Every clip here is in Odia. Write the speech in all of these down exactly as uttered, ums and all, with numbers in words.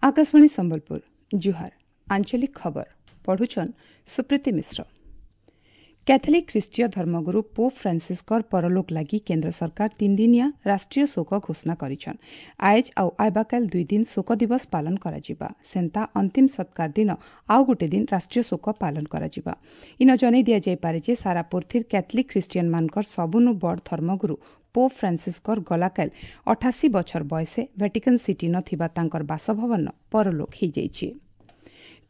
Akashvani Sambalpur ଜୁହାର ଆଞ୍ଚଳିକ ଖବର ପଢୁଛନ୍ ସୁପ୍ରୀତି ମିଶ୍ର କ୍ୟାଥଲିକ୍ ଖ୍ରୀଷ୍ଟୀୟ ଧର୍ମଗୁରୁ ପୋପ୍ ଫ୍ରାନ୍ସିସ୍କର ପରଲୋକ ଲାଗି କେନ୍ଦ୍ର ସରକାର ତିନିଦିନିଆ ରାଷ୍ଟ୍ରୀୟ ଶୋକ ଘୋଷଣା କରିଛନ୍ ଆଏଜ୍ ଆଉ ଆଇବାକାଲ ଦୁଇ ଦିନ ଶୋକ ଦିବସ ପାଳନ କରାଯିବା ସେନ୍ତା ଅନ୍ତିମ ସତ୍କାର ଦିନ ଆଉ ଗୋଟେ ଦିନ ରାଷ୍ଟ୍ରୀୟ ଶୋକ ପାଳନ କରାଯିବା ଇନ ଜଣାଇ ଦିଆଯାଇପାରେ ଯେ ସାରା ପୃଥିବୀର କ୍ୟାଥଲିକ୍ ଖ୍ରୀଷ୍ଟିଆନମାନଙ୍କର ସବୁନୁ ବଡ଼ ଧର୍ମଗୁରୁ ପୋପ୍ ଫ୍ରାନ୍ସିସ୍କର ଗଲାକାଲ ଅଠାଅଶୀ ବଛର ବୟସେ ଭେଟିକାନ୍ ସିଟି ନ ଥିବା ତାଙ୍କର ବାସଭବନ ପରଲୋକ ହୋଇଯାଇଛି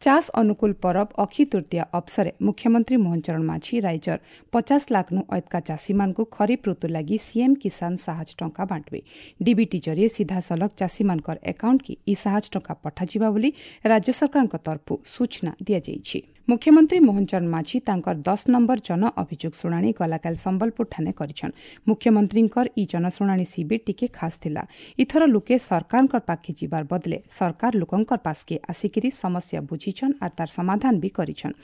ଚାଷ ଅନୁକୂଳ ପରବ ଅକ୍ଷି ତୃତୀୟା ଅବସରେ ମୁଖ୍ୟମନ୍ତ୍ରୀ ମୋହନ ଚରଣ ମାଝୀ ରାଜ୍ୟର ପଚାଶ ଲାଖ୍ନୁ ଅଏତ୍କା ଚାଷୀମାନଙ୍କୁ ଖରିଫ ଋତୁ ଲାଗି ସିଏମ୍ କିଷାନ ସାହାଯ୍ୟ ଟଙ୍କା ବାଣ୍ଟିବେ ଡିବିଟି ଜରିଏ ସିଧାସଳଖ ଚାଷୀମାନଙ୍କର ଆକାଉଣ୍ଟକି ଇ ସାହାଯ୍ୟ ଟଙ୍କା ପଠାଯିବା ବୋଲି ରାଜ୍ୟ ସରକାରଙ୍କ ତରଫରୁ ସୂଚନା ଦିଆଯାଇଛି ମୁଖ୍ୟମନ୍ତ୍ରୀ ମୋହନ ଚରଣ ମାଝୀ ତାଙ୍କର ଦଶ ନମ୍ବର ଜନ ଅଭିଯୋଗ ଶୁଣାଣି ଗଲାକାଲି ସମ୍ବଲପୁର ଠାନେ କରିଛନ୍ ମୁଖ୍ୟମନ୍ତ୍ରୀଙ୍କର ଇ ଜନଶୁଣାଣି ଶିବିର ଟିକେ ଖାସ୍ ଥିଲା ଇଥର ଲୋକେ ସରକାରଙ୍କ ପାଖେ ଯିବାର ବଦଲେ ସରକାର ଲୋକଙ୍କର ପାସ୍କେ ଆସିକିରି ସମସ୍ୟା ବୁଝିଛନ୍ ଆର୍ ତାର ସମାଧାନ ବି କରିଛନ୍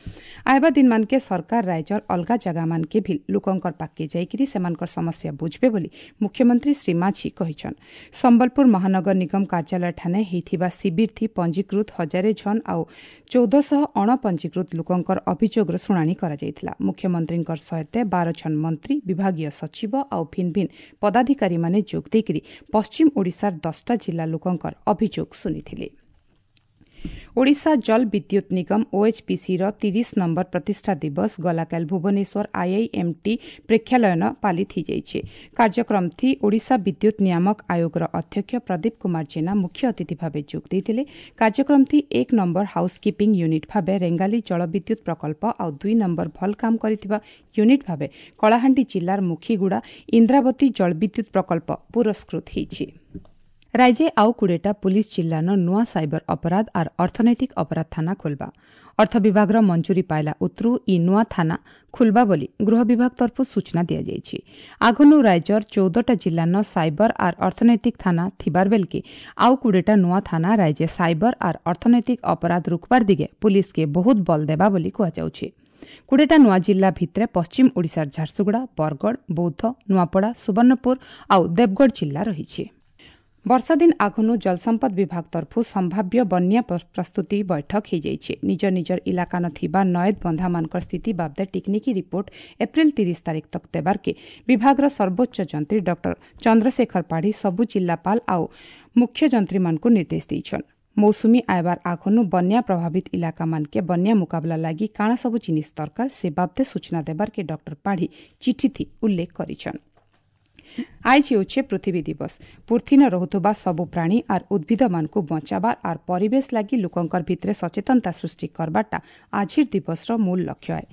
ଆଇବା ଦିନମାନକେ ସରକାର ରାଜ୍ୟର ଅଲଗା ଜାଗାମାନକେ ବି ଲୋକଙ୍କର ପାଖକେ ଯାଇକିରି ସେମାନଙ୍କର ସମସ୍ୟା ବୁଝବେ ବୋଲି ମୁଖ୍ୟମନ୍ତ୍ରୀ ଶ୍ରୀ ମାଝୀ କହିଛନ୍ ସମ୍ବଲପୁର ମହାନଗର ନିଗମ କାର୍ଯ୍ୟାଳୟ ଠାନେ ହେଇଥିବା ଶିବିର ଥି ପଞ୍ଜୀକୃତ ହଜାରେ ଝନ୍ ଆଉ ଚଉଦଶହ ଅଣପଞ୍ଜୀକୃତ ଲୋକଙ୍କର ଅଭିଯୋଗର ଶୁଣାଣି କରାଯାଇଥିଲା ମୁଖ୍ୟମନ୍ତ୍ରୀଙ୍କର ସହିତ ବାର ଜଣ ମନ୍ତ୍ରୀ ବିଭାଗୀୟ ସଚିବ ଆଉ ଭିନ୍ନ ଭିନ୍ନ ପଦାଧିକାରୀମାନେ ଯୋଗ ଦେଇକରି ପଶ୍ଚିମ ଓଡ଼ିଶାର ଦଶଟା ଜିଲ୍ଲା ଲୋକଙ୍କର ଅଭିଯୋଗ ଶୁଣିଥିଲେ ଓଡ଼ିଶା ଜଳ ବିଦ୍ୟୁତ୍ ନିଗମ ଓଏଚ୍ପିସିର ତିରିଶ ନମ୍ବର ପ୍ରତିଷ୍ଠା ଦିବସ ଗଲାକାଲି ଭୁବନେଶ୍ୱର ଆଇଆଇଏମ୍ଟି ପ୍ରେକ୍ଷାଳୟନ ପାଳିତ ହୋଇଯାଇଛି କାର୍ଯ୍ୟକ୍ରମ ଥି ଓଡ଼ିଶା ବିଦ୍ୟୁତ୍ ନିୟାମକ ଆୟୋଗର ଅଧ୍ୟକ୍ଷ ପ୍ରଦୀପ କୁମାର ଜେନା ମୁଖ୍ୟ ଅତିଥି ଭାବେ ଯୋଗ ଦେଇଥିଲେ କାର୍ଯ୍ୟକ୍ରମ ଥି ଏକ ନମ୍ବର ହାଉସ୍କିପିଂ ୟୁନିଟ୍ ଭାବେ ରେଙ୍ଗାଲି ଜଳବିଦ୍ୟୁତ୍ ପ୍ରକଳ୍ପ ଆଉ ଦୁଇ ନମ୍ବର ଭଲ କାମ କରିଥିବା ୟୁନିଟ୍ ଭାବେ କଳାହାଣ୍ଡି ଜିଲ୍ଲାର ମୁଖିଗୁଡ଼ା ଇନ୍ଦ୍ରାବତୀ ଜଳବିଦ୍ୟୁତ୍ ପ୍ରକଳ୍ପ ପୁରସ୍କୃତ ହୋଇଛି ରାଜ୍ୟେ ଆଉ କୋଡ଼ିଏଟା ପୁଲିସ୍ ଜିଲ୍ଲାନ ନୂଆ ସାଇବର ଅପରାଧ ଆର୍ ଅର୍ଥନୈତିକ ଅପରାଧ ଥାନା ଖୋଲବା ଅର୍ଥ ବିଭାଗର ମଞ୍ଜୁରୀ ପାଇଲା ଉତ୍ରୁ ଇ ନୂଆ ଥାନା ଖୋଲବା ବୋଲି ଗୃହ ବିଭାଗ ତରଫରୁ ସୂଚନା ଦିଆଯାଇଛି ଆଗନୁ ରାଜ୍ୟର ଚଉଦଟା ଜିଲ୍ଲାନ ସାଇବର ଆର୍ ଅର୍ଥନୈତିକ ଥାନା ଥିବାର ବେଲକେ ଆଉ କୋଡ଼ିଏଟା ନୂଆ ଥାନା ରାଜ୍ୟ ସାଇବର ଆର୍ ଅର୍ଥନୈତିକ ଅପରାଧ ରୋକବାର ଦିଗେ ପୁଲିସକେ ବହୁତ ବଲ ଦେବା ବୋଲି କୁହାଯାଉଛି କୋଡ଼ିଏଟା ନୂଆ ଜିଲ୍ଲା ଭିତରେ ପଶ୍ଚିମ ଓଡ଼ିଶାର ଝାରସୁଗୁଡ଼ା ବରଗଡ଼ ବୌଦ୍ଧ ନୂଆପଡ଼ା ସୁବର୍ଣ୍ଣପୁର ଆଉ ଦେବଗଡ଼ ଜିଲ୍ଲା ରହିଛି ବର୍ଷା ଦିନ ଆଗନୁ ଜଳସମ୍ପଦ ବିଭାଗ ତରଫରୁ ସମ୍ଭାବ୍ୟ ବନ୍ୟା ପ୍ରସ୍ତୁତି ବୈଠକ ହୋଇଯାଇଛି ନିଜ ନିଜର ଇଲାକାନ ଥିବା ନଏଦ ବନ୍ଧାମାନଙ୍କର ସ୍ଥିତି ବାବଦେ ଟିକ୍ନିକି ରିପୋର୍ଟ ଏପ୍ରିଲ ତିରିଶ ତାରିଖ ତକ ଦେବାର୍କେ ବିଭାଗର ସର୍ବୋଚ୍ଚ ଯନ୍ତ୍ରୀ ଡକ୍ଟର ଚନ୍ଦ୍ରଶେଖର ପାଢ଼ୀ ସବୁ ଜିଲ୍ଲାପାଳ ଆଉ ମୁଖ୍ୟ ଯନ୍ତ୍ରୀମାନଙ୍କୁ ନିର୍ଦ୍ଦେଶ ଦେଇଛନ୍ ମୌସୁମୀ ଆଇବାର ଆଗନୁ ବନ୍ୟା ପ୍ରଭାବିତ ଇଲାକାମାନକେ ବନ୍ୟା ମୁକାବିଲା ଲାଗି କାଣା ସବୁ ଜିନିଷ ଦରକାର ସେ ବାବଦେ ସୂଚନା ଦେବାର୍କେ ଡକ୍ଟର ପାଢ଼ୀ ଚିଠିଥି ଉଲ୍ଲେଖ କରିଛନ୍ ଆଏଜ୍ ହେଉଛେ ପୃଥିବୀ ଦିବସ ପୃଥିନ ରହୁଥିବା ସବୁ ପ୍ରାଣୀ ଆର୍ ଉଦ୍ଭିଦମାନଙ୍କୁ ବଞ୍ଚାବାର ଆର୍ ପରିବେଶ ଲାଗି ଲୋକଙ୍କର ଭିତରେ ସଚେତନତା ସୃଷ୍ଟି କରବାରଟା ଆଜିର ଦିବସର ମୂଳ ଲକ୍ଷ୍ୟ ଆଏ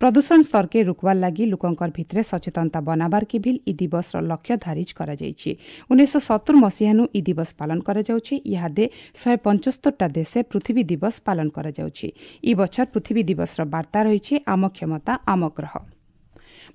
ପ୍ରଦୂଷଣ ସ୍ତରକେ ରୋକବାର ଲାଗି ଲୋକଙ୍କର ଭିତରେ ସଚେତନତା ବନାବାରକେ ଭିଲ୍ ଇ ଦିବସର ଲକ୍ଷ୍ୟ ଧାରିଜ କରାଯାଇଛି ଉଣେଇଶହ ସତୁର ମସିହାନୁ ଇ ଦିବସ ପାଳନ କରାଯାଉଛି ଇହାଦେ ଶହେ ପଞ୍ଚସ୍ତରଟା ଦେଶେ ପୃଥିବୀ ଦିବସ ପାଳନ କରାଯାଉଛି ଇ ବଛର ପୃଥିବୀ ଦିବସର ବାର୍ତ୍ତା ରହିଛି ଆମ କ୍ଷମତା ଆମ ଗ୍ରହ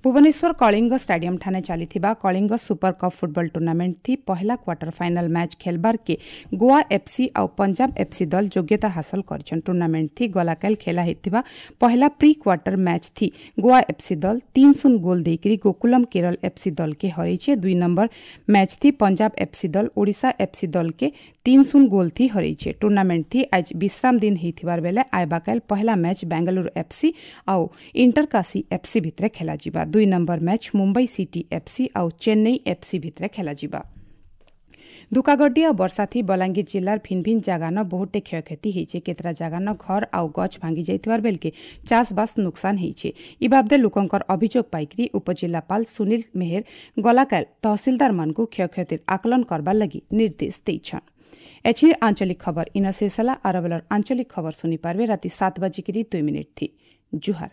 ଭୁବନେଶ୍ୱର କଳିଙ୍ଗ ଷ୍ଟାଡିୟମ ଠାନେ ଚାଲିଥିବା Kalinga super cup football tournament ଥି ପହଲା କ୍ୱାର୍ଟର ଫାଇନାଲ ମ୍ୟାଚ୍ ଖେଲବାରକେ ଗୋଆ ଏଫ୍ସି ଆଉ ପଞ୍ଜାବ ଏଫ୍ସି ଦଲ ଯୋଗ୍ୟତା ହାସଲ କରିଛନ୍ ଟୁର୍ଣ୍ଣାମେଣ୍ଟ ଥି ଗଲାକାଲ ଖେଲା ହେଇଥିବା ପହଲା ପ୍ରି କ୍ୱାର୍ଟର ମ୍ୟାଚ୍ ଥି ଗୋଆ ଏଫ୍ସି ଦଲ ତିନ ଶୂନ ଗୋଲ ଦେଇକରି ଗୋକୁଲମ କେରଳ ଏଫ୍ସି ଦଲକେ ହରେଇଛେ ଦୁଇ ନମ୍ବର ମ୍ୟାଚ୍ ଥି ପଞ୍ଜାବ ଏଫ୍ସି ଦଲ ଓଡ଼ିଶା ଏଫ୍ସି ଦଲକେ ତିନ ଶୂନ ଗୋଲ ଥି ହରେଇଛେ ଟୁର୍ଣ୍ଣାମେଣ୍ଟ ଥି ଆଜ ବିଶ୍ରାମ ଦିନ ହେଇଥିବାର ବେଲେ ଆଇବାକାଲ ପହଲା ମ୍ୟାଚ୍ ବେଙ୍ଗାଲୁରୁ ଏଫ୍ସି ଆଉ ଇଣ୍ଟରକାଶୀ ଏଫ୍ସି ଭିତରେ ଖେଲାଯିବା ଦୁଇ number match Mumbai city FC ଆଉ ଚେନ୍ନାଇ ଏଫ୍ସି ଭିତରେ ଖେଲାଯିବା ଧୁକାଗड्डी ଆଉ ବର୍ଷାଥି ବଲାଙ୍ଗୀର ଜିଲ୍ଲାର ଭିନ୍ ଭିନ୍ ଜାଗାନ ବହୁତଟେ କ୍ଷୟକ୍ଷତି ହେଇଛେ କେତେଟା ଜାଗାନ ଘର ଆଉ ଗଛ ଭାଙ୍ଗି ଯାଇଥିବାର ବେଲକେ ଚାଷବାସ ନୁକସାନ ହେଇଛେ ଇ ବାବଦେ ଲୋକଙ୍କର ଅଭିଯୋଗ ପାଇକରି ଉପଜିଲ୍ଲାପାଳ ସୁନୀଲ ମେହେର ଗଲାକାଲ ତହସିଲଦାରମାନଙ୍କୁ କ୍ଷୟକ୍ଷତିର ଆକଳନ କରବାର ଲାଗି ନିର୍ଦ୍ଦେଶ ଦେଇଛନ୍ ଏଛିର ଆଞ୍ଚଳିକ ଖବର ଇନ ଶେଷ ହେଲା ଆରବେଲର ଆଞ୍ଚଳିକ ଖବର ଶୁଣିପାରିବେ ରାତି ସାତ ବାଜିକିରି ଦୁଇ ମିନିଟ୍ ଥି ଜୁହାର